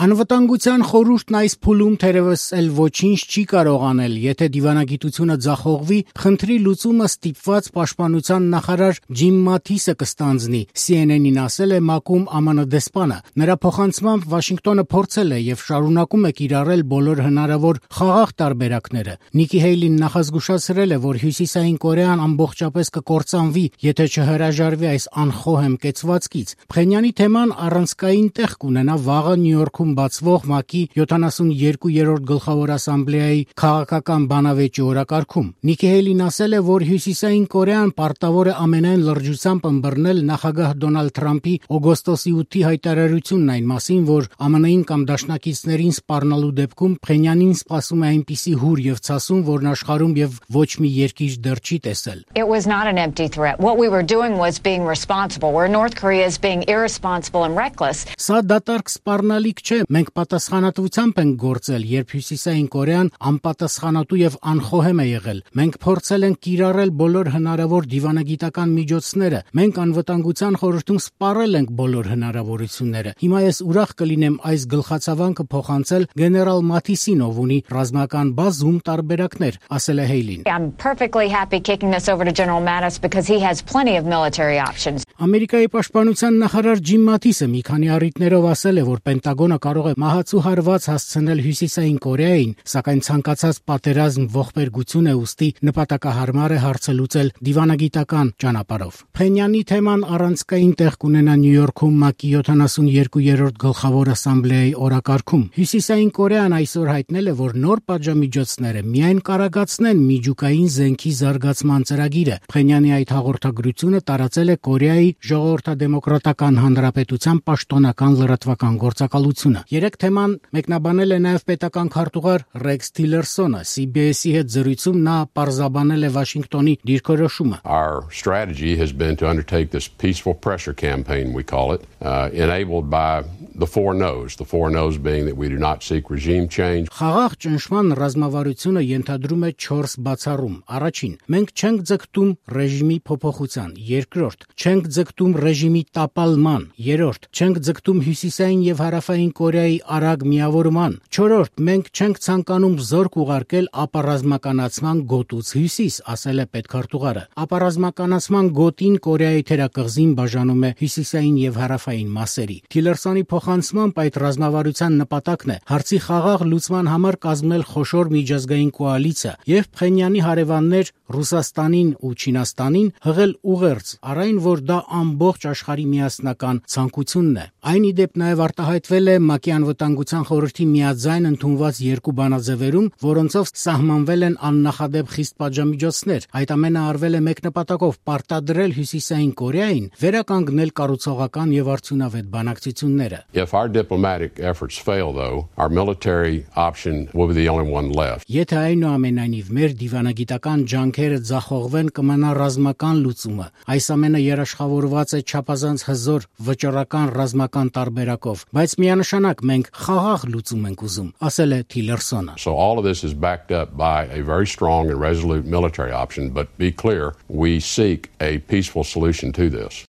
Անվտանգության խորհուրդն այս փուլում թերևս էլ ոչինչ չի կարող անել, եթե դիվանագիտությունը ձախողվի, խնդրի լուծումը ստիպված պաշտպանության նախարար Ջիմ Մաթիսը կստանձնի, CNN-ին ասել է ՄԱԿ-ում ԱՄՆ դեսպանը։ Նրա փոխանցմամբ Վաշինգտոնը փորձել է եւ շարունակում է կիրառել բոլոր հնարավոր խաղաղ տարբերակները։ Նիկի Հեյլին նախազգուշացրել է, որ Հյուսիսային Կորեան ամբողջապես կկործանվի, եթե չհրաժարվի այս անխոհեմ կեցվածքից։ Փխենյանի թեման առանցքային տեղ կունենա վաղը Նյու Յորքում բացվող ՄԱԿ-ի 72-րդ գլխավոր ասամբլեայի քաղաքական բանավեճի օրակարգում։ Նիկի Հեյլին ասել է, որ Հյուսիսային Կորեան պարտավոր է ամենայն լրջությամբ ըմբռնել նախագահ Դոնալդ Թրամփի օգոստոսի 8-ի հայտարարությունն այն մասին, որ ԱՄՆ-ին կամ դաշնակիցներին սպառնալու դեպքում Փխենյանին սպասում է այնպիսի հուր եւ ցասում, որն աշխարհում եւ ոչ մի երկիր դեռ չի տեսել։ It was not an empty threat. What we were doing was being responsible, where North Korea is being irresponsible and reckless. Սա դատարկ սպառնալիք չէ, մենք պատասխանատվությամբ ենք գործել, երբ Հյուսիսային Կորեան անպատասխանատու եւ անխոհեմ է եղել։ Մենք փորձել ենք կիրառել բոլոր հնարավոր դիվանագիտական միջոցները։ Մենք անվտանգության խորհրդում սպառել ենք բոլոր հնարավորությունները։ Հիմա ես ուրախ կլինեմ այս գլխացավանքը փոխանցել գեներալ Մաթիսին, ով ունի ռազմական բազում տարբերակներ, ասել է Հեյլին։ I'm perfectly happy kicking this over to General Mattis because he has plenty of military options. Ամերիկայի պաշտպանության նախարար Ջիմ Մաթիսը մի քանի առիթներով ասել է, որ Պենտագոնը կարող է մահացու հարված հասցնել Հյուսիսային Կորեային, սակայն ցանկացած պատերազմ ողբերգություն է, ուստի նպատակահարմար է հարցը լուծել դիվանագիտական ճանապարհով։ Փխենյանի թեման առանցքային տեղ կունենա Նյու Յորքում ՄԱԿ-ի 72-րդ գլխավոր ասամբլեայի օրակարգում։ Հյուսիսային Կորեան այսօր հայտնել է, որ նոր պատժամիջոցները միայն կարագացնեն միջուկային զենքի զարգացման ծրագիրը։ Փխենյանի այդ հաղորդագրությունը տարածել է Կորեայի Ժողովրդադեմոկրատական Հանրապետության պաշտոնական լրատվական գործակալությունը։ Երեք թեման մեկնաբանել է նաև պետական քարտուղար Ռեքս Թիլերսոնը։ CBS-ի հետ զրույցում նա պարզաբանել է Վաշինգտոնի դիրքորոշումը։ Our strategy has been to undertake this peaceful pressure campaign, we call it, enabled by the four no's being that we do not seek regime change. Խաղաղ ճնշման ռազմավարությունը ենթադրում է 4 բացառում։ Առաջին, մենք չենք ձգտում ռեժիմի փոփոխության։ Երկրորդ, չենք ձգտում ռեժիմի տապալման։ Երրորդ, չենք ձգտում Հյուսիսային եւ Հարավային Կորեայի արագ միավորման։ Չորրորդ, մենք չենք ցանկանում զորք ուղարկել ապառազմականացման գոտուց հյուսիս, ասել է պետքարտուղարը։ Ապառազմականացման գոտին Կորեայի թերակղզին բաժանում է Հյուսիսային եւ Հարավային մասերի։ Թիլերսոնի փոխանցմամբ այդ ռազմավարության նպատակն է հարցի խաղաղ լուծման համար կազմել խոշոր միջազգային կոալիցիա եւ Փխենյանի հարևաններ Ռուսաստանին ու Չինաստանին հղել ուղերձ, առայն որ դա ամբողջ աշխարհի միասնական ցանկությունն է։ Այն ի դեպ նաև արտահայտվել է ՄԱԿ-ի անվտանգության խորհրդի միաձայն ընդունված երկու բանաձևերում, որոնցով սահմանվել են աննախադեպ խիստ պատժամիջոցներ։ Այդ ամենը արվել է մեկ նպատակով՝ պարտադրել Հյուսիսային Կորեային վերականգնել կառուցողական եւ արդյունավետ բանակցությունները։ If our diplomatic efforts fail, though, our military option will be the only one left. Եթե այնուամենայնիվ մեր դիվանագիտական ջանքերը ձախողվեն, կմնա ռազմական լուծումը։ Այս ամենը երաշխավորված է չափազանց հզոր վճռական ռազմական տարբերակով, բայց միանշանակ մենք խաղաղ լուծում ենք ուզում, ասել է Թիլերսոնը։ So all of this is backed up by a very strong and resolute military option, but be clear, we seek a peaceful solution to this.